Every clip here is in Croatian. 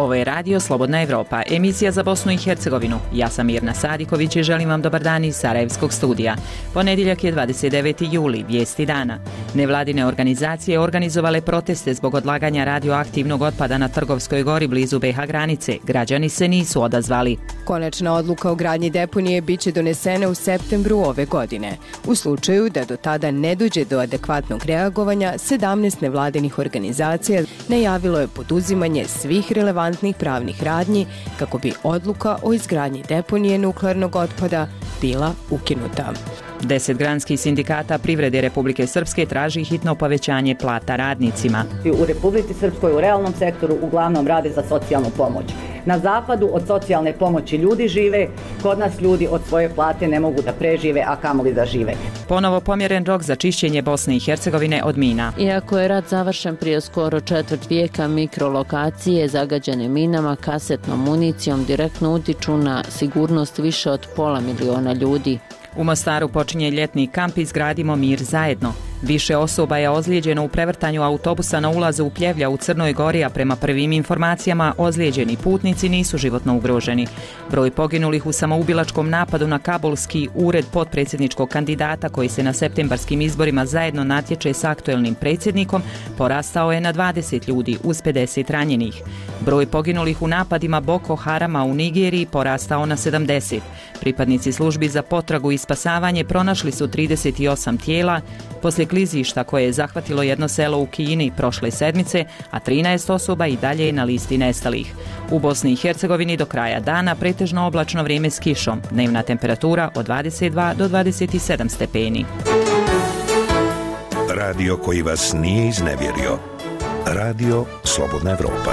Ovo je Radio Slobodna Evropa, emisija za Bosnu i Hercegovinu. Ja sam Mirna Sadiković i želim vam dobar dan iz Sarajevskog studija. Ponedjeljak je 29. juli, vijesti dana. Nevladine organizacije organizovale proteste zbog odlaganja radioaktivnog otpada na Trgovskoj gori blizu BiH granice. Građani se nisu odazvali. Konačna odluka o gradnji deponije biće donesena u septembru ove godine. U slučaju da do tada ne dođe do adekvatnog reagovanja, 17 nevladinih organizacija najavilo je poduzimanje svih relevantnih pravnih radnji kako bi odluka o izgradnji deponije nuklearnog otpada bila ukinuta. 10 granskih sindikata privrede Republike Srpske traži hitno povećanje plata radnicima. U Republici Srpskoj u realnom sektoru uglavnom rade za socijalnu pomoć. Na zapadu od socijalne pomoći ljudi žive, kod nas ljudi od svoje plate ne mogu da prežive, a kamoli da žive. Ponovo pomjeren rok za čišćenje Bosne i Hercegovine od mina. Iako je rat završen prije skoro četvrt vijeka, mikrolokacije zagađene minama, kasetnom municijom direktno utiču na sigurnost više od 500.000 ljudi. U Mostaru počinje ljetni kamp Izgradimo mir zajedno. Više osoba je ozlijeđeno u prevrtanju autobusa na ulazu u Pljevlja u Crnoj Gori, a prema prvim informacijama ozlijeđeni putnici nisu životno ugroženi. Broj poginulih u samoubilačkom napadu na kabulski ured potpredsjedničkog kandidata koji se na septembarskim izborima zajedno natječe s aktuelnim predsjednikom porastao je na 20 ljudi uz 50 ranjenih. Broj poginulih u napadima Boko Harama u Nigeriji porastao na 70. Pripadnici službi za potragu i spasavanje pronašli su 38 tijela poslije klizišta koje je zahvatilo jedno selo u Kini prošle sedmice, a 13 osoba i dalje je na listi nestalih. U Bosni i Hercegovini do kraja dana pretežno oblačno vrijeme s kišom, dnevna temperatura od 22 do 27 stepeni. Radio koji vas nije iznevjerio. Radio Slobodna Evropa.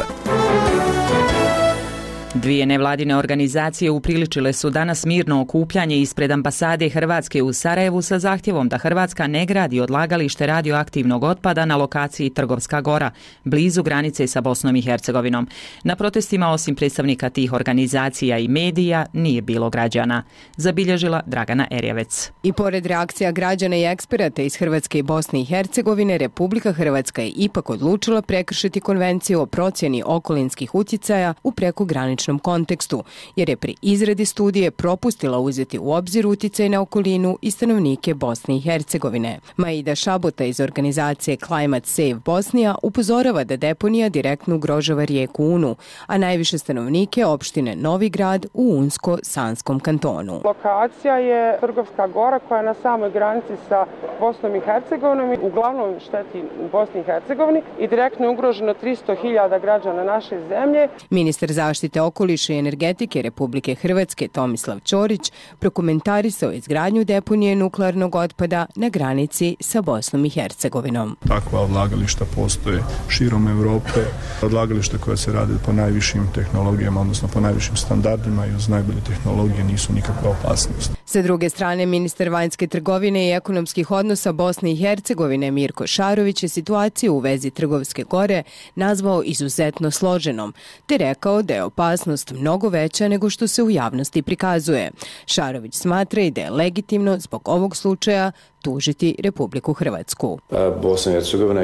Dvije nevladine organizacije upriličile su danas mirno okupljanje ispred ambasade Hrvatske u Sarajevu sa zahtjevom da Hrvatska ne gradi odlagalište radioaktivnog otpada na lokaciji Trgovska gora, blizu granice sa Bosnom i Hercegovinom. Na protestima osim predstavnika tih organizacija i medija nije bilo građana, zabilježila Dragana Erjevec. I pored reakcija građana i eksperata iz Hrvatske i Bosne i Hercegovine, Republika Hrvatska je ipak odlučila prekršiti konvenciju o procjeni okolinskih utjecaja u prekograničnom kontekstu, jer je pri izradi studije propustila uzeti u obzir utjecaj na okolinu i stanovnike Bosne i Hercegovine. Maida Šabota iz organizacije Climate Save Bosnija upozorava da deponija direktno ugrožava rijeku Unu, a najviše stanovnike opštine Novi Grad u Unsko-Sanskom kantonu. Lokacija je Trgovska gora koja je na samoj granici sa Bosnom i Hercegovinom, uglavnom šteti Bosni i Hercegovini i direktno je ugroženo 300.000 građana naše zemlje. Ministar zaštite okoliša i energetike Republike Hrvatske Tomislav Ćorić prokomentarisao izgradnju deponije nuklearnog otpada na granici sa Bosnom i Hercegovinom. Takva odlagališta postoje širom Europe, odlagališta koja se rade po najvišim tehnologijama, odnosno po najvišim standardima i uz najbolje tehnologije nisu nikakva opasnost. Sa druge strane, ministar vanjske trgovine i ekonomskih odnosa Bosne i Hercegovine Mirko Šarović je situaciju u vezi Trgovske gore nazvao izuzetno složenom, te rekao da je opasnost mnogo veća nego što se u javnosti prikazuje. Šarović smatra i da je legitimno zbog ovog slučaja tužiti Republiku Hrvatsku. Bosna i Hercegovina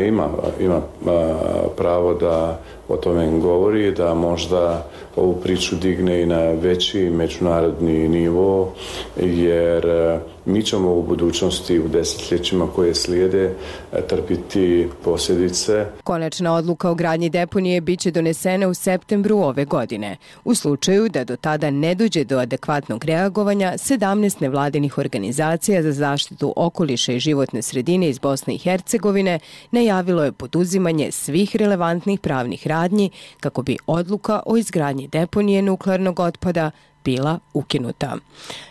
ima pravo da o tome govori, da možda ovu priču digne i na veći međunarodni nivo, jer mi ćemo u budućnosti, u desetljećima koje slijede, trpiti posljedice. Konačna odluka o gradnji deponije biće donesena u septembru ove godine. U slučaju da do tada ne dođe do adekvatnog reagovanja, 17 nevladinih organizacija za zaštitu okoliša i životne sredine iz Bosne i Hercegovine najavilo je poduzimanje svih relevantnih pravnih radnji kako bi odluka o izgradnji deponije nuklearnog otpada bila ukinuta.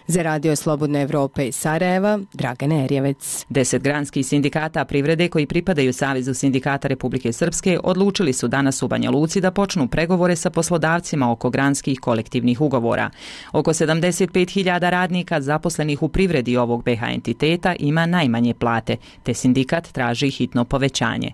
Za Radio Slobodna Evropa iz Sarajeva, Dragana Erjevec. 10 granskih sindikata privrede koji pripadaju Savezu sindikata Republike Srpske odlučili su danas u Banja Luci da počnu pregovore sa poslodavcima oko granskih kolektivnih ugovora. Oko 75.000 radnika zaposlenih u privredi ovog BiH entiteta ima najmanje plate, te sindikat traži hitno povećanje.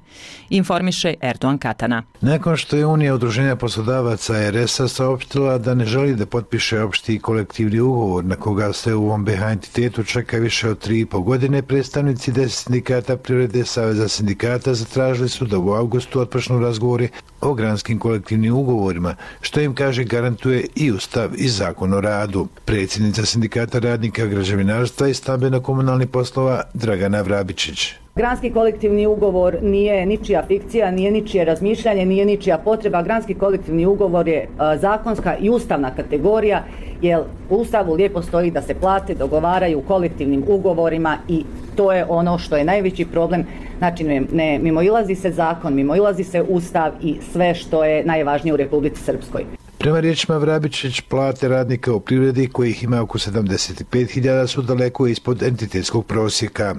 Informiše Erdogan Katana. Nakon što je Unija udruženja poslodavaca RS-a saopštila da ne želi da potpiše opšti kolektivni ugovor na koga se u ovom BiH entitetu čeka više od 3,5 godine, predstavnici 10 sindikata privrede Saveza sindikata zatražili su da u avgustu otpočnu razgovori o granskim kolektivnim ugovorima, što im kaže garantuje i Ustav i Zakon o radu. Predsjednica Sindikata radnika građevinarstva i stambeno-komunalnih poslova Dragana Vrabičić. Granski kolektivni ugovor nije ničija fikcija, nije ničije razmišljanje, nije ničija potreba. Granski kolektivni ugovor je zakonska i ustavna kategorija, jer u Ustavu lijepo stoji da se plate dogovaraju kolektivnim ugovorima i to je ono što je najveći problem. Znači ne mimoilazi se zakon, mimoilazi se Ustav i sve što je najvažnije u Republici Srpskoj. Prema riječima Vrabičić, plate radnika u privredi, kojih ima oko 75.000, su daleko ispod entitetskog prosjeka.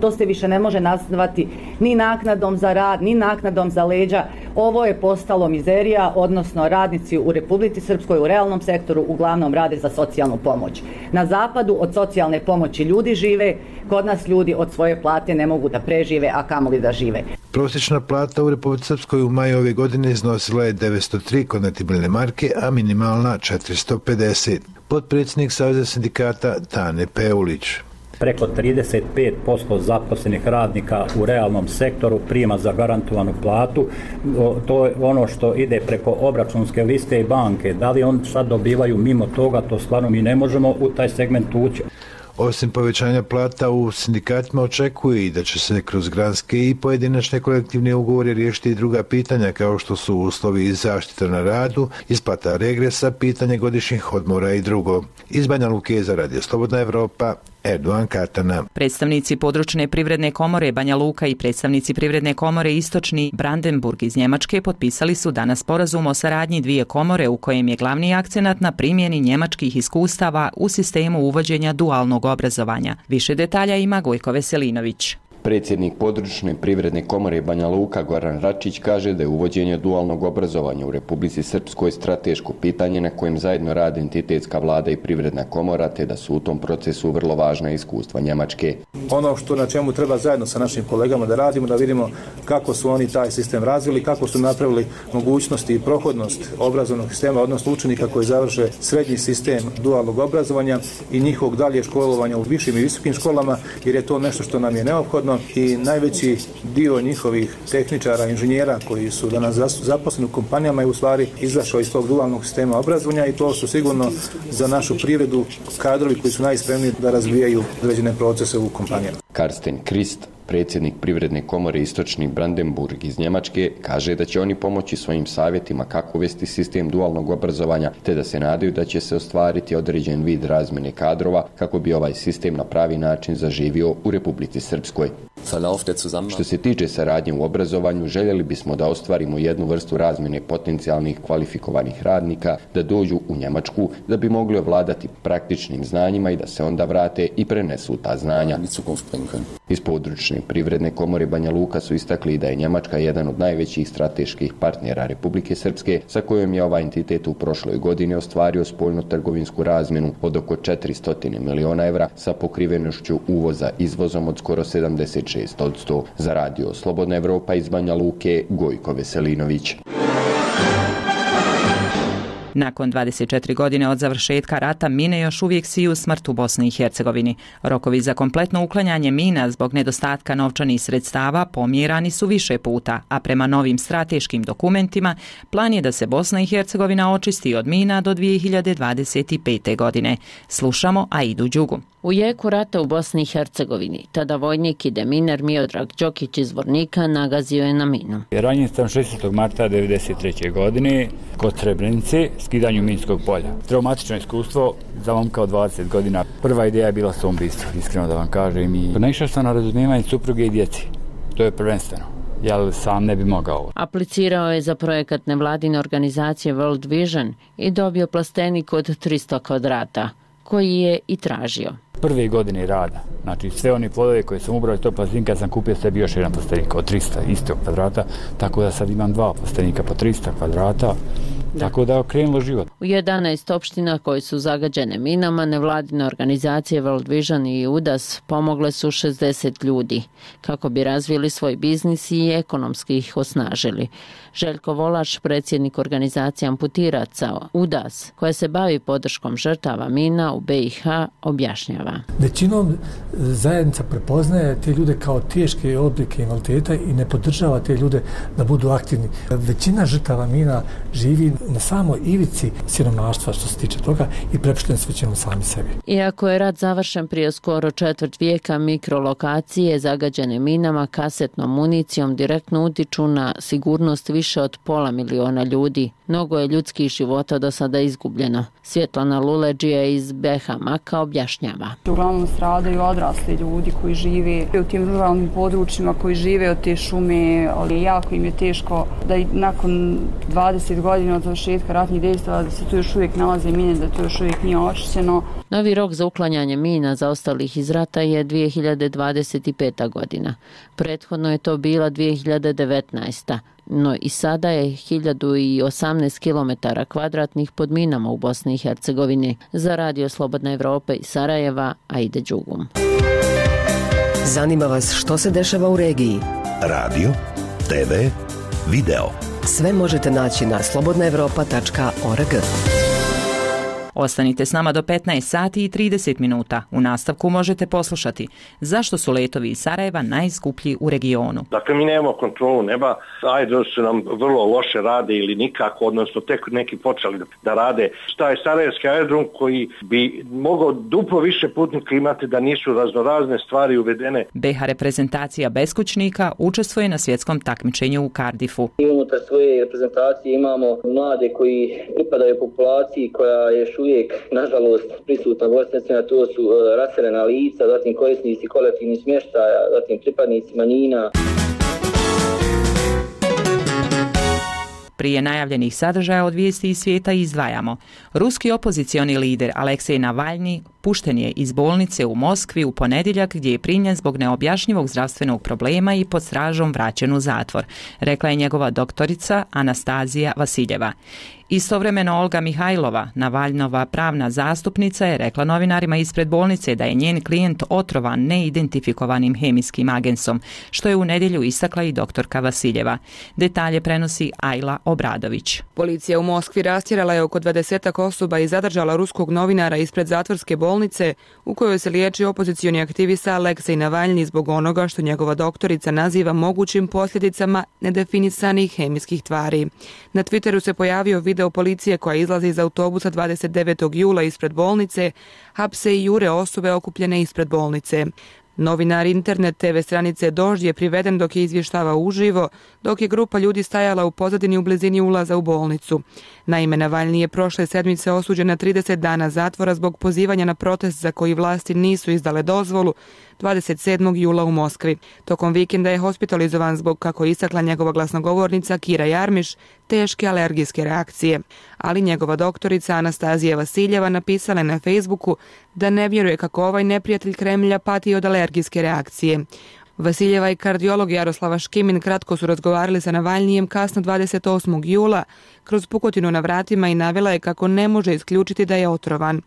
To se više ne može nazvati ni naknadom za rad, ni naknadom za leđa. Ovo je postalo mizerija, odnosno radnici u Republici Srpskoj u realnom sektoru uglavnom rade za socijalnu pomoć. Na zapadu od socijalne pomoći ljudi žive, kod nas ljudi od svoje plate ne mogu da prežive, a kamoli da žive. Prosječna plata u Republici Srpskoj u maju ove godine iznosila je 903 konvertibilne marke, a minimalna 450. Potpredsjednik Saveza sindikata Tane Peulić. Preko 35% zaposlenih radnika u realnom sektoru prima zagarantovanu platu. To je ono što ide preko obračunske liste i banke. Da li oni sad dobivaju mimo toga, to stvarno mi ne možemo u taj segment ući. Osim povećanja plata u sindikatima očekuje i da će se kroz granske i pojedinačne kolektivne ugovore riješiti i druga pitanja kao što su uslovi i zaštita na radu, isplata regresa, pitanje godišnjih odmora i drugo. Iz Banja Luke za Radio Slobodna Evropa, Erdogan Katana. Predstavnici područne privredne komore Banja Luka i predstavnici privredne komore Istočni Brandenburg iz Njemačke potpisali su danas sporazum o saradnji dvije komore u kojem je glavni akcenat na primjeni njemačkih iskustava u sistemu uvođenja dualnog obrazovanja. Više detalja ima Gojko Veselinović. Predsjednik područne privredne komore Banja Luka Goran Račić kaže da je uvođenje dualnog obrazovanja u Republici Srpskoj strateško pitanje na kojem zajedno rade entitetska vlada i privredna komora, te da su u tom procesu vrlo važna iskustva Njemačke. Ono što na čemu treba zajedno sa našim kolegama da radimo, da vidimo kako su oni taj sistem razvili, kako su napravili mogućnosti i prohodnost obrazovnog sistema, odnosno učenika koji završe srednji sistem dualnog obrazovanja i njihovog dalje školovanja u višim i visokim školama, jer je to nešto što nam je neophodno. I najveći dio njihovih tehničara, inženjera koji su danas zaposleni u kompanijama je u stvari izašao iz tog dualnog sistema obrazovanja i to su sigurno za našu privredu kadrovi koji su najspremniji da razvijaju određene procese u kompanijama. Karsten Krist, predsjednik privredne komore Istočni Brandenburg iz Njemačke, kaže da će oni pomoći svojim savjetima kako uvesti sistem dualnog obrazovanja, te da se nadaju da će se ostvariti određen vid razmjene kadrova kako bi ovaj sistem na pravi način zaživio u Republici Srpskoj. Što se tiče saradnje u obrazovanju, željeli bismo da ostvarimo jednu vrstu razmjene potencijalnih kvalifikovanih radnika, da dođu u Njemačku, da bi mogli ovladati praktičnim znanjima i da se onda vrate i prenesu ta znanja. Iz područne privredne komore Banja Luka su istakli da je Njemačka jedan od najvećih strateških partnera Republike Srpske, sa kojom je ovaj entitet u prošloj godini ostvario spoljno-trgovinsku razmjenu od oko 400 miliona evra sa pokrivenošću uvoza izvozom od skoro 76%. Za Radio Slobodna Evropa iz Banja Luke, Gojko Veselinović. Nakon 24 godine od završetka rata mine još uvijek siju smrt u Bosni i Hercegovini. Rokovi za kompletno uklanjanje mina zbog nedostatka novčanih sredstava pomjerani su više puta, a prema novim strateškim dokumentima plan je da se Bosna i Hercegovina očisti od mina do 2025. godine. Slušamo Aidu Đugu. U jeku rata u Bosni i Hercegovini, tada vojnik i deminer Miodrag Đokić iz Vornika nagazio je na minu. Ranjen sam 16. marta 1993. godine kod Srebrenice, skidanju minskog polja. Traumatično iskustvo za momka od 20 godina. Prva ideja je bila samoubistvo, iskreno da vam kažem. Naišao sam na razumijevanje supruge i djeci. To je prvenstveno. Ja sam ne bi mogao. Aplicirao je za projekat nevladine organizacije World Vision i dobio plastenik od 300 kvadrata, koji je i tražio. Prve godine rada, znači sve one plodove koje sam ubrao iz tog plastenika sam kupio sebi još jedan plastenik od 300 istog kvadrata, tako da sad imam dva plastenika po 300 kvadrata Tako da je okrenulo život. U 11 opština koji su zagađene minama, nevladine organizacije World Vision i UDAS pomogle su 60 ljudi kako bi razvili svoj biznis i ekonomski ih osnažili. Željko Volaš, predsjednik organizacije amputiraca UDAS, koja se bavi podrškom žrtava mina u BiH, objašnjava. Većinom zajednica prepoznaje te ljude kao teške oblike invaliditeta i ne podržava te ljude da budu aktivni. Većina žrtava mina živi na samoj ivici siromaštva što se tiče toga i prepušteni su većinom sami sebi. Iako je rat završen prije skoro četvrt vijeka, mikrolokacije zagađene minama, kasetnom municijom direktno utiču na sigurnost više od 500.000 ljudi. Mnogo je ljudskih života do sada izgubljeno. Svjetlana Luleđija iz BiH Maka objašnjava. Uglavnom stradaju odrasli ljudi koji žive u tim ruralnim područjima, koji žive od te šume, ali jako im je teško da i nakon 20 godina od završetka ratnih dejstava da se tu još uvijek nalaze mine, da to još uvijek nije očišćeno. Novi rok za uklanjanje mina zaostalih iz rata je 2025. godina. Prethodno je to bila 2019. No i sada je 1018 km2 pod minama u Bosni i Hercegovini. Za Radio Slobodna Evropa iz Sarajeva, Aida Đugum. Zanima vas što se dešava u regiji? Radio, TV, video. Sve možete naći na slobodnaevropa.org. Ostanite s nama do 15 sati i 30 minuta. U nastavku možete poslušati zašto su letovi iz Sarajeva najskuplji u regionu. Dakle, mi nemamo kontrolu neba, aerodromi su nam vrlo loše rade ili nikako, odnosno tek neki počeli da rade. Šta je Sarajevski aerodrom koji bi mogao duplo više putnika imati da nisu raznorazne stvari uvedene. BiH reprezentacija beskućnika učestvuje na svjetskom takmičenju u Cardiffu. I unutar svoje reprezentacije imamo mlade koji pripadaju populaciji koja je uvijek, nažalost, prisutna u Bosni, to su raseljena lica, zatim korisnici kolektivnih smještaja, zatim pripadnici manjina. Prije najavljenih sadržaja od vijesti iz svijeta izdvajamo. Ruski opozicioni lider Aleksej Navalni pušten je iz bolnice u Moskvi u ponedjeljak gdje je primljen zbog neobjašnjivog zdravstvenog problema i pod stražom vraćen u zatvor, rekla je njegova doktorica Anastazija Vasiljeva. Istovremeno Olga Mihajlova, Navalnova pravna zastupnica, je rekla novinarima ispred bolnice da je njen klijent otrovan neidentifikovanim hemijskim agensom, što je u nedjelju istakla i doktorka Vasiljeva. Detalje prenosi Ajla Obradović. Policija u Moskvi rastjerala je oko 20 osoba i zadržala ruskog novinara ispred zatvorske bolnice u kojoj se liječi opozicioni aktivista Aleksej Navalni zbog onoga što njegova doktorica naziva mogućim posljedicama nedefinisanih hemijskih tvari. Na Twitteru se pojavio video policije koja izlazi iz autobusa 29. jula ispred bolnice, hapse i jure osobe okupljene ispred bolnice. Novinar internet TV stranice Dožd je priveden dok je izvještavao uživo, dok je grupa ljudi stajala u pozadini u blizini ulaza u bolnicu. Naime, Navalni je prošle sedmice osuđen na 30 dana zatvora zbog pozivanja na protest za koji vlasti nisu izdale dozvolu 27. jula u Moskvi. Tokom vikenda je hospitalizovan zbog, kako je istakla njegova glasnogovornica Kira Jarmiš, teške alergijske reakcije. Ali njegova doktorica Anastazija Vasiljeva napisala na Facebooku da ne vjeruje kako ovaj neprijatelj Kremlja pati od alergijske reakcije. Vasiljeva i kardiolog Jaroslava Škimin kratko su razgovarali sa Navalnijem kasno 28. jula kroz pukotinu na vratima i navela je kako ne može isključiti da je otrovan.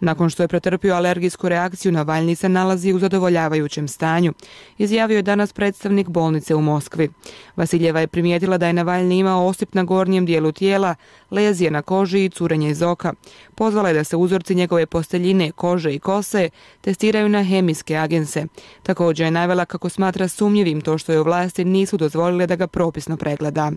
Nakon što je pretrpio alergijsku reakciju, Navalni se nalazi u zadovoljavajućem stanju, izjavio je danas predstavnik bolnice u Moskvi. Vasiljeva je primijetila da je Navalni imao osip na gornjem dijelu tijela, lezije na koži i curenje iz oka. Pozvala je da se uzorci njegove posteljine, kože i kose testiraju na hemijske agense. Također je navela kako smatra sumnjivim to što je u vlasti nisu dozvolile da ga propisno pregleda.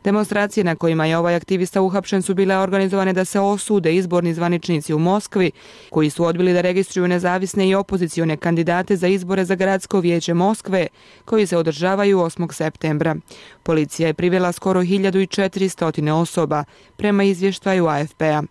Demonstracije na kojima je ovaj aktivista uhapšen su bile organizovane da se osude izborni zvaničnici u Moskvi, koji su odbili da registruju nezavisne i opozicione kandidate za izbore za gradsko vijeće Moskve, koji se održavaju 8. septembra. Policija je privela skoro 1400 osoba, prema izvještaju AFP-a.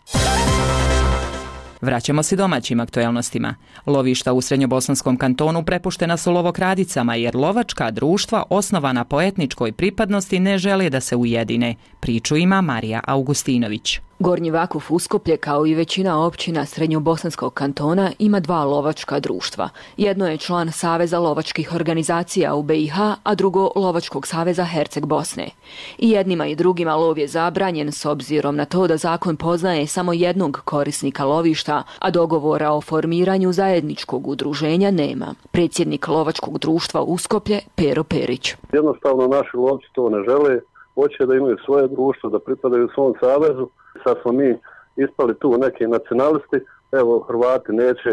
Vraćamo se domaćim aktuelnostima. Lovišta u Srednjobosanskom kantonu prepuštena su lovokradicama jer lovačka društva osnovana po etničkoj pripadnosti ne žele da se ujedine. Priču ima Marija Augustinović. Gornji Vakuf Uskoplje, kao i većina općina Srednjobosanskog kantona, ima 2 lovačka društva. Jedno je član Saveza lovačkih organizacija u BiH, a drugo Lovačkog saveza Herceg Bosne. I jednima i drugima lov je zabranjen s obzirom na to da zakon poznaje samo jednog korisnika lovišta, a dogovora o formiranju zajedničkog udruženja nema. Predsjednik Lovačkog društva Uskoplje, Pero Perić. Jednostavno naši lovci to ne žele, hoće da imaju svoje društvo, da pripadaju svom savezu. Sad smo mi ispali tu neki nacionalisti, evo Hrvati neće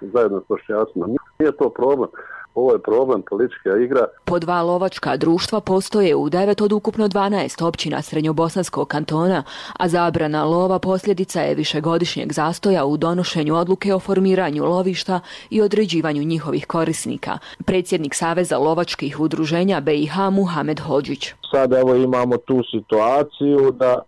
zajedno s Bošnjacima. Nije to problem, ovo je problem politička igra. Po 2 lovačka društva postoje u 9 od ukupno 12 općina Srednjobosanskog kantona, a zabrana lova posljedica je višegodišnjeg zastoja u donošenju odluke o formiranju lovišta i određivanju njihovih korisnika. Predsjednik Saveza lovačkih udruženja BiH Muhamed Hodžić. Sad evo imamo tu situaciju da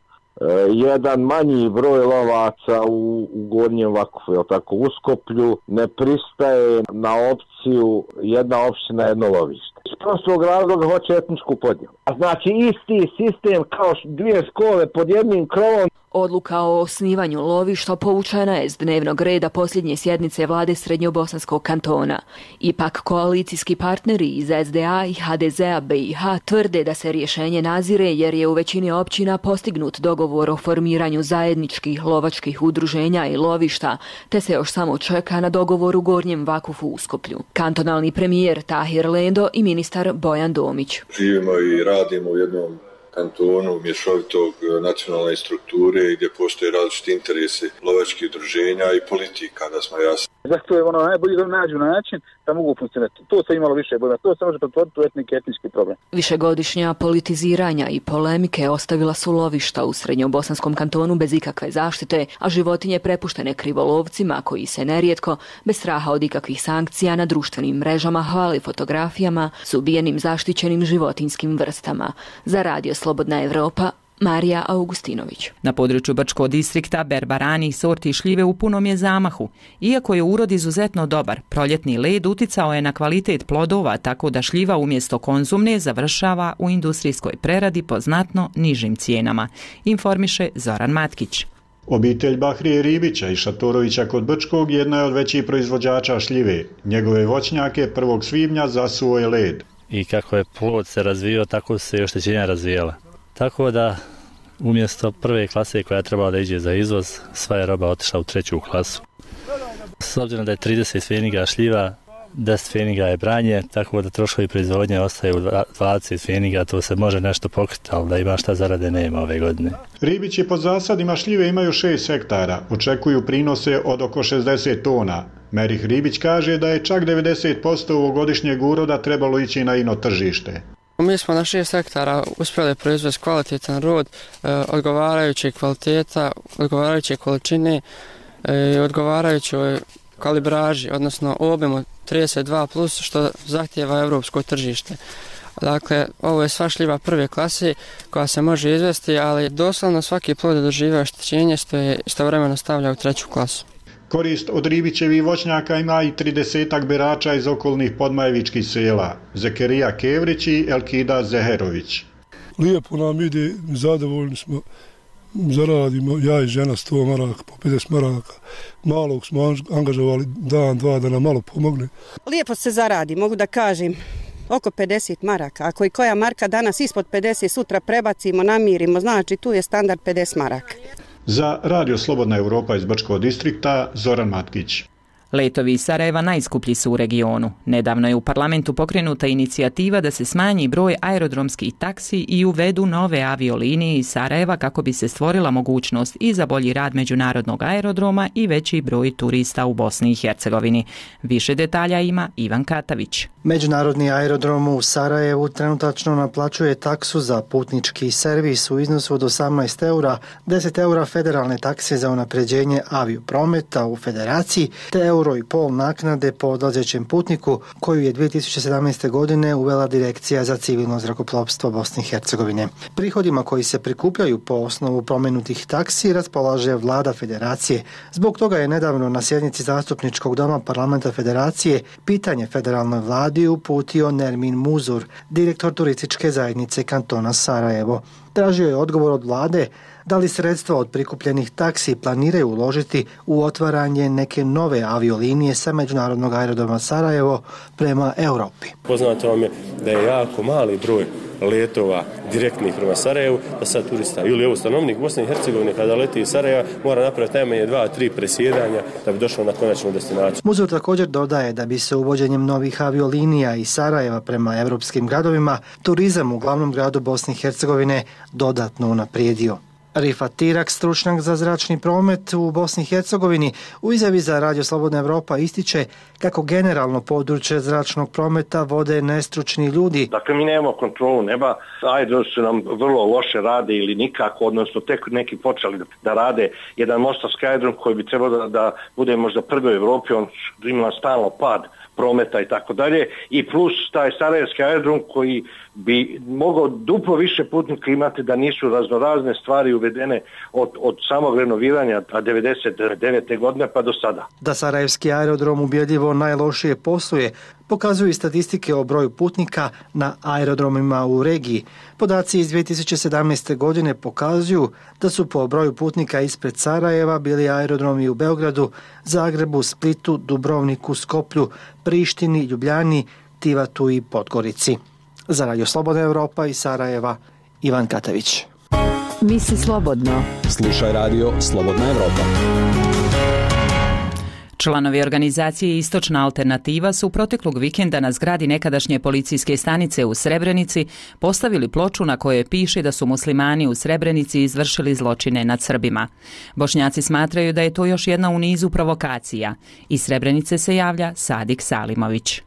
jedan manji broj lovaca u Gornjem Vakufu, je tako, Uskoplju, ne pristaje na opciju jedna općina, jedno lovište. Iz prostog razloga hoće etničku podjelu. A znači isti sistem kao 2 škole pod jednim krovom. Odluka o osnivanju lovišta povučena je s dnevnog reda posljednje sjednice vlade Srednjobosanskog kantona. Ipak koalicijski partneri iz SDA i HDZ-a BiH tvrde da se rješenje nazire jer je u većini općina postignut dogovor o formiranju zajedničkih lovačkih udruženja i lovišta, te se još samo čeka na dogovor u Gornjem Vakufu Uskoplju. Kantonalni premijer Tahir Lendo i ministar Bojan Domić. Živimo i radimo u jednom kantonu mješovitog nacionalne strukture gdje postoje različiti interesi lovačkih udruženja i politika, da smo jasni. Zato je najbolje da nađu način da mogu funkcionirati. To se imalo više bojima, to se može pretvoriti u etnički problem. Višegodišnja politiziranja i polemike ostavila su lovišta u Srednjobosanskom kantonu bez ikakve zaštite, a životinje prepuštene krivolovcima koji se nerijetko, bez straha od ikakvih sankcija, na društvenim mrežama hvali fotografijama s ubijenim zaštićenim životinjskim vrstama. Za Radio Slobodna Evropa, Marija Augustinović. Na području Brčkog distrikta berba ranih sorti šljive u punom je zamahu. Iako je urod izuzetno dobar, proljetni led uticao je na kvalitet plodova, tako da šljiva umjesto konzumne završava u industrijskoj preradi po znatno nižim cijenama, informiše Zoran Matkić. Obitelj Bahrije Ribića i Šatorovića kod Brčkog jedna je od većih proizvođača šljive. Njegove voćnjake 1. svibnja zasuo je led. I kako je plod se razvijao, tako se i oštećenja razvijala. Tako da umjesto 1. klase koja je trebala da iđe za izvoz, sva je roba otišla u 3. klasu. S obzirom da je 30 feniga šljiva, 10 feniga je branje, tako da troškovi proizvodnje ostaju 20 feniga, to se može nešto pokriti, ali da ima šta zarade nema ove godine. Ribići pod zasadima šljive imaju 6 hektara, očekuju prinose od oko 60 tona. Merih Ribić kaže da je čak 90% ovogodišnjeg uroda trebalo ići na ino tržište. Mi smo na 6 hektara uspjeli proizvesti kvalitetan rod, odgovarajuće kvaliteta, odgovarajuće količine, odgovarajućoj kalibraži, odnosno objemu 32+, što zahtijeva evropsko tržište. Dakle, ovo je sva šljiva 1. klase koja se može izvesti, ali doslovno svaki plod doživio oštećenje što je istovremeno stavlja u 3. klasu. Korist od Ribićevih voćnjaka ima i 30 berača iz okolnih podmajevičkih sela, Zekerija Kevrić i Elkida Zeherović. Lijepo nam ide, zadovoljni smo, zaradimo, ja i žena 100 maraka, po 50 maraka. Malog smo angažovali dan, dva da nam malo pomogne. Lijepo se zaradi, mogu da kažem, oko 50 maraka. Ako i koja marka danas ispod 50, sutra prebacimo, namirimo, znači tu je standard 50 maraka. Za Radio Slobodna Evropa iz Brčkog distrikta, Zoran Matkić. Letovi iz Sarajeva najskuplji su u regionu. Nedavno je u parlamentu pokrenuta inicijativa da se smanji broj aerodromskih taksi i uvedu nove aviolinije iz Sarajeva kako bi se stvorila mogućnost i za bolji rad međunarodnog aerodroma i veći broj turista u Bosni i Hercegovini. Više detalja ima Ivan Katavić. Međunarodni aerodrom u Sarajevu trenutačno naplaćuje taksu za putnički servis u iznosu od 18 eura, 10 eura federalne takse za unapređenje avioprometa u federaciji, te €1,5 naknade po odlazećem putniku koju je 2017. godine uvela Direkcija za civilno zrakoplovstvo Bosne i Hercegovine. Prihodima koji se prikupljaju po osnovu promenutih taksi raspolaže vlada federacije. Zbog toga je nedavno na sjednici zastupničkog doma parlamenta federacije pitanje federalnoj vladi uputio Nermin Muzur, direktor turističke zajednice kantona Sarajevo. Tražio je odgovor od vlade da li sredstva od prikupljenih taksi planiraju uložiti u otvaranje neke nove aviolinije sa međunarodnog aerodroma Sarajevo prema Europi. Poznato vam je da je jako mali broj letova direktnih prema Sarajevu, da sad turista ili evo stanovnik Bosne i Hercegovine kada leti iz Sarajeva mora napraviti najmanje 2-3 presjedanja da bi došao na konačnu destinaciju. Muzej također dodaje da bi se uvođenjem novih aviolinija iz Sarajeva prema europskim gradovima turizam u glavnom gradu Bosne i Hercegovine dodatno unaprijedio. Rifat Tirak, stručnjak za zračni promet u Bosni i Hercegovini, u izjavi za Radio Slobodna Evropa ističe kako generalno područje zračnog prometa vode nestručni ljudi. Dakle, mi nemamo kontrolu neba, aerodromi nam vrlo loše rade ili nikako, odnosno tek neki počeli da rade jedan mostarski aerodrom koji bi trebao da bude možda prvi u Evropi, on ima stalno pad prometa i tako dalje, i plus taj sarajevski aerodrom koji bi mogao duplo više putnika imati da nisu raznorazne stvari uvedene od samog renoviranja 1999. godine pa do sada. Da sarajevski aerodrom ubjedljivo najlošije posluje, pokazuju i statistike o broju putnika na aerodromima u regiji. Podaci iz 2017. godine pokazuju da su po broju putnika ispred Sarajeva bili aerodromi u Beogradu, Zagrebu, Splitu, Dubrovniku, Skoplju, Prištini, Ljubljani, Tivatu i Podgorici. Za Radio Slobodna Evropa iz Sarajeva, Ivan Katavić. Misli slobodno. Slušaj Radio Slobodna Evropa. Članovi organizacije Istočna alternativa su proteklog vikenda na zgradi nekadašnje policijske stanice u Srebrenici postavili ploču na kojoj piše da su muslimani u Srebrenici izvršili zločine nad Srbima. Bošnjaci smatraju da je to još jedna u nizu provokacija. Iz Srebrenice se javlja Sadik Salimović.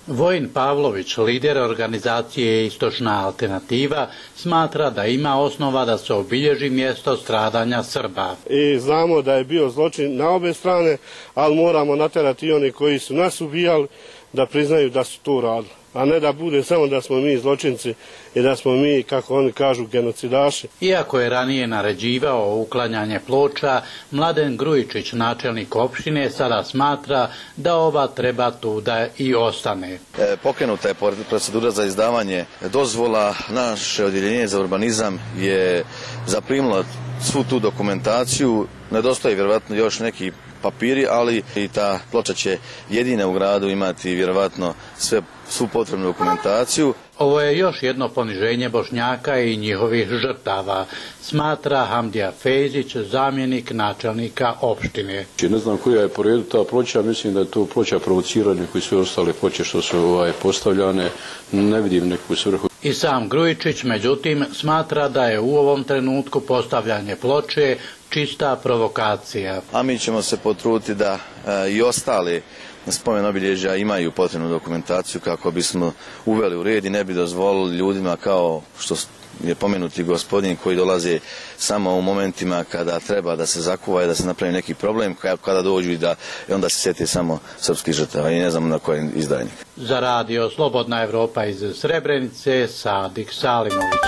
Vojin Pavlović, lider organizacije Istočna alternativa, smatra da ima osnova da se obilježi mjesto stradanja Srba. I znamo da je bio zločin na obe strane, ali moramo natjerati oni koji su nas ubijali da priznaju da su to radili. A ne da bude samo da smo mi zločinci i da smo mi, kako oni kažu, genocidaši. Iako je ranije naređivao uklanjanje ploča, Mladen Grujičić, načelnik opštine, sada smatra da ova treba tu da i ostane. Pokrenuta je procedura za izdavanje dozvola. Naše odjeljenje za urbanizam je zaprimilo svu tu dokumentaciju. Nedostaje vjerovatno još neki papiri, ali i ta ploča će jedina u gradu imati vjerovatno svu potrebnu dokumentaciju. Ovo je još jedno poniženje Bošnjaka i njihovih žrtava, smatra Hamdija Fejzić, zamjenik načelnika opštine. Ne znam koja je po redu ta ploča, mislim da je to ploča provociranja koji sve ostale ploče što su postavljane, ne vidim neku svrhu. I sam Grujičić, međutim, smatra da je u ovom trenutku postavljanje ploče čista provokacija. A mi ćemo se potruditi da i ostali spomen obilježja imaju potrebnu dokumentaciju kako bismo uveli u red i ne bi dozvolili ljudima kao što je pomenuti gospodin koji dolaze samo u momentima kada treba da se zakuvaju, da se napravi neki problem, kada dođu i onda se sjeti samo srpskih žrtava i ne znamo na koji izdajnik. Za Radio Slobodna Evropa iz Srebrenice, Sadik Salimović.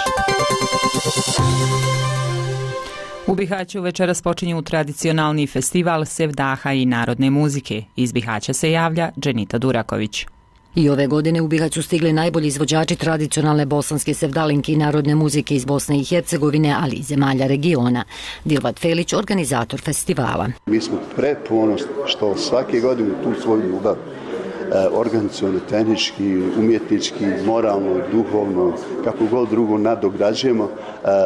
U Bihaću večeras počinju tradicionalni festival sevdaha i narodne muzike. Iz Bihaća se javlja Dženita Duraković. I ove godine u Bihaću stigli najbolji izvođači tradicionalne bosanske sevdalinke i narodne muzike iz Bosne i Hercegovine, ali i zemalja regiona. Dilvat Felić, organizator festivala. Mi smo preponosni što svake godine tu svoju ljubav organizacijalno, tehnički, umjetnički, moralno, duhovno, kako god drugo nadograđujemo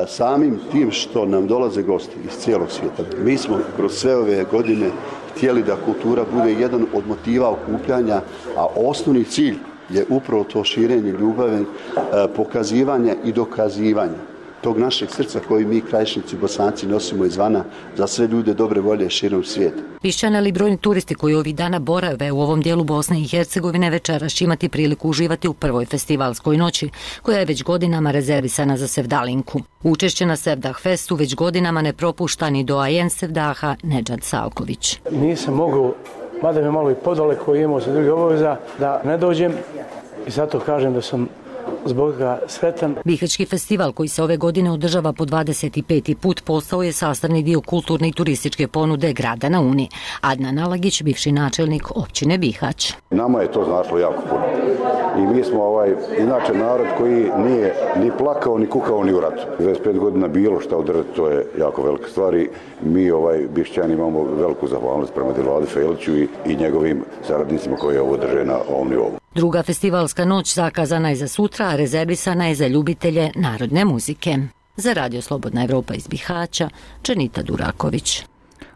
samim tim što nam dolaze gosti iz cijelog svijeta. Mi smo kroz sve ove godine htjeli da kultura bude jedan od motiva okupljanja, a osnovni cilj je upravo to širenje ljubavi, pokazivanje i dokazivanje tog našeg srca koji mi Krajišnici Bosanci nosimo izvana za sve ljude dobre volje širom svijeta. Pišćani ali brojni turisti koji ovih dana borave u ovom dijelu Bosne i Hercegovine večeras će imati priliku uživati u prvoj festivalskoj noći, koja je već godinama rezervisana za sevdalinku. Učešće na Sevdah Festu već godinama ne propušta ni doajen sevdaha Nedžad Salković. Nisam mogao, mada me malo i podaleko imao se druge obaveza, da ne dođem i zato kažem da sam zbog toga sretan. Bihaćki festival koji se ove godine održava po 25. put postao je sastavni dio kulturne i turističke ponude grada na Uni. Adnan Alagić, bivši načelnik općine Bihać. Nama je to značilo jako puno. I mi smo inače narod koji nije ni plakao, ni kukao, ni u ratu. 25 godina bilo šta održati, to je jako velika stvar i mi Bišćani imamo veliku zahvalnost prema Dilvadi Feliću i njegovim saradnicima koji ovo drže na ovom nivou. Druga festivalska noć zakazana je za sutra, a rezervisana je za ljubitelje narodne muzike. Za Radio Slobodna Evropa iz Bihaća, Čenita Duraković.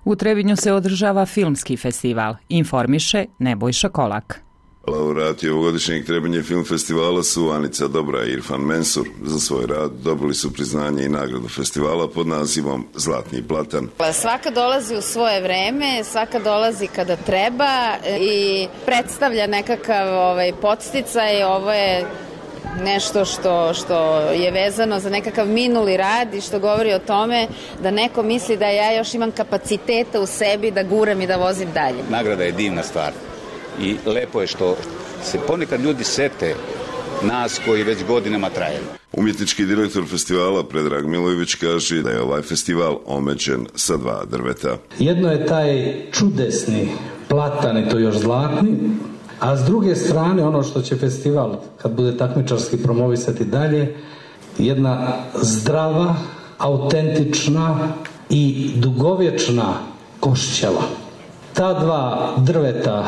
U Trebinju se održava filmski festival. Informiše Nebojša Kolak. Laureati ovogodišnjeg Trebinje film festivala su Anica Dobra i Irfan Mensur. Za svoj rad dobili su priznanje i nagradu festivala pod nazivom Zlatni platan. Svaka dolazi u svoje vreme, svaka dolazi kada treba i predstavlja nekakav podsticaj. Ovo je nešto što je vezano za nekakav minuli rad i što govori o tome da neko misli da ja još imam kapaciteta u sebi da guram i da vozim dalje. Nagrada je divna stvar. I lepo je što se ponekad ljudi sete nas koji već godinama trajemo. Umjetnički direktor festivala Predrag Milojević kaže da je ovaj festival omeđen sa 2 drveta. Jedno je taj čudesni platan i to još zlatni, a s druge strane ono što će festival kad bude takmičarski promovisati dalje, jedna zdrava, autentična i dugovječna košćala. Ta 2 drveta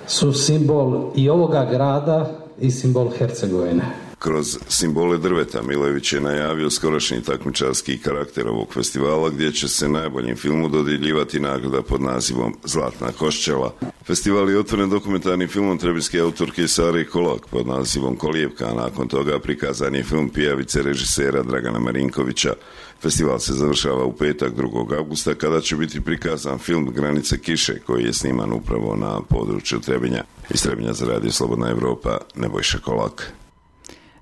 su simbol i ovoga grada i simbol Hercegovine. Kroz simbole drveta Milojević je najavio skorašnji takmičarski karakter ovog festivala gdje će se najboljim filmu dodjeljivati nagrada pod nazivom Zlatna košćala. Festival je otvoren dokumentarnim filmom trebinske autorke Sare Kolak pod nazivom Kolijevka, a nakon toga prikazan je film Pijavice režisera Dragana Marinkovića. Festival se završava u petak 2. augusta kada će biti prikazan film Granice kiše koji je sniman upravo na području Trebinja. Iz Trebinja za Radio Slobodna Evropa, Nebojša Kolak.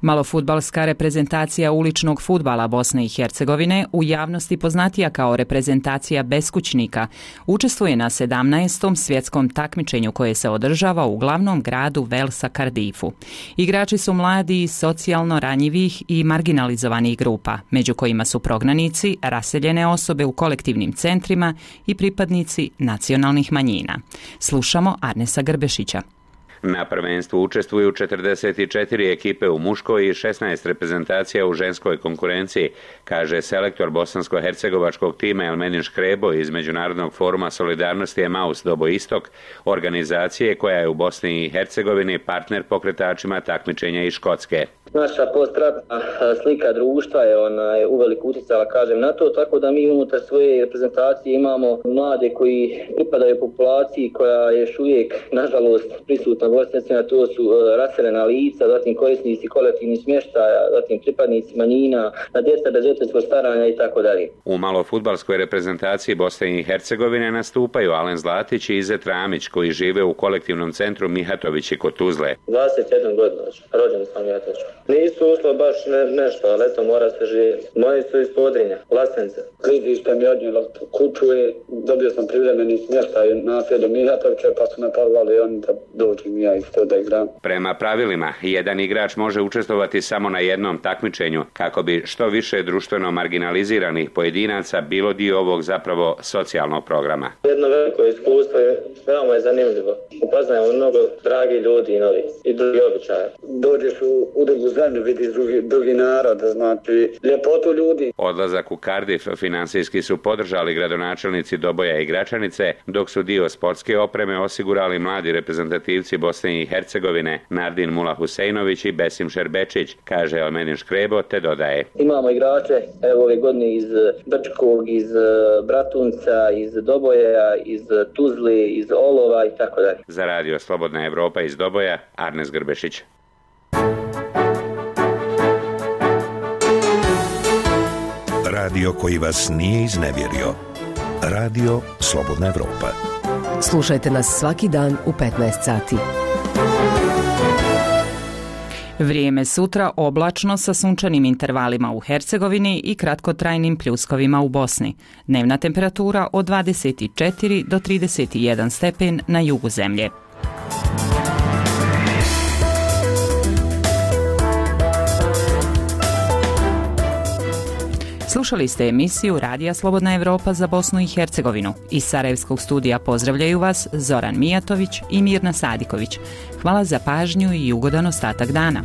Malofudbalska reprezentacija uličnog fudbala Bosne i Hercegovine, u javnosti poznatija kao reprezentacija beskućnika, učestvuje na 17. svjetskom takmičenju koje se održava u glavnom gradu Velsa Cardiffu. Igrači su mladi, socijalno ranjivih i marginalizovanih grupa, među kojima su prognanici, raseljene osobe u kolektivnim centrima i pripadnici nacionalnih manjina. Slušamo Arnesa Grbešića. Na prvenstvu učestvuju 44 ekipe u muškoj i 16 reprezentacija u ženskoj konkurenciji, kaže selektor bosansko-hercegovačkog tima Elmedin Škrebo iz Međunarodnog foruma solidarnosti Emaus Dobo Istok, organizacije koja je u Bosni i Hercegovini partner pokretačima takmičenja iz Škotske. Naša postratna slika društva je uveliko uticala, kažem, na to, tako da mi unutar svoje reprezentacije imamo mlade koji pripadaju populaciji koja je još uvijek, nažalost, prisutna u Bosni, to su raseljena lica, zatim korisnici kolektivnih smještaja, zatim pripadnici manjina, na djeca bez roditeljskog staranja i tako dalje. U malofudbalskoj reprezentaciji Bosne i Hercegovine nastupaju Alen Zlatić i Izet Ramić koji žive u kolektivnom centru Mihatovići kod Tuzle. 21 godina, rođen sam Mihatović. Nisu ušlo baš nešto, ali eto mora se živjeti. Moji su iz Podrinja, Vlasence. Klizište mi odnijelo kuću i dobio sam privremeni smještaj naselju Mihatovića, pa su me pozvali oni da dođem ja isto da igram. Prema pravilima, jedan igrač može učestvovati samo na jednom takmičenju kako bi što više društveno marginaliziranih pojedinaca bilo dio ovog zapravo socijalnog programa. Jedno veliko iskustvo je, veoma je zanimljivo. Upoznajemo mnogo dragi ljudi i novi i drugi običaje. Dođeš u drugu zemlju, vidiš drugi narod, znači ljepotu ljudi. Odlazak u Cardiff finansijski su podržali gradonačelnici Doboja i Gračanice, dok su dio sportske opreme osigurali mladi reprezentativci Bosne i Hercegovine Nardin Mula Husejnović i Besim Šerbečić, kaže Elmedin Škrebo, te dodaje. Imamo igrače ove godine iz Brčkog, iz Bratunca, iz Doboja, iz Tuzli, iz Olova i tako dalje. Za Radio Slobodna Evropa iz Doboja, Arnes Grbešić. Radio koji vas nije iznevjerio. Radio Slobodna Evropa. Slušajte nas svaki dan u 15 sati. Vrijeme sutra oblačno sa sunčanim intervalima u Hercegovini i kratkotrajnim pljuskovima u Bosni. Dnevna temperatura od 24 do 31 stepen na jugu zemlje. Slušali ste emisiju Radija Slobodna Evropa za Bosnu i Hercegovinu. Iz Sarajevskog studija pozdravljaju vas Zoran Mijatović i Mirna Sadiković. Hvala za pažnju i ugodan ostatak dana.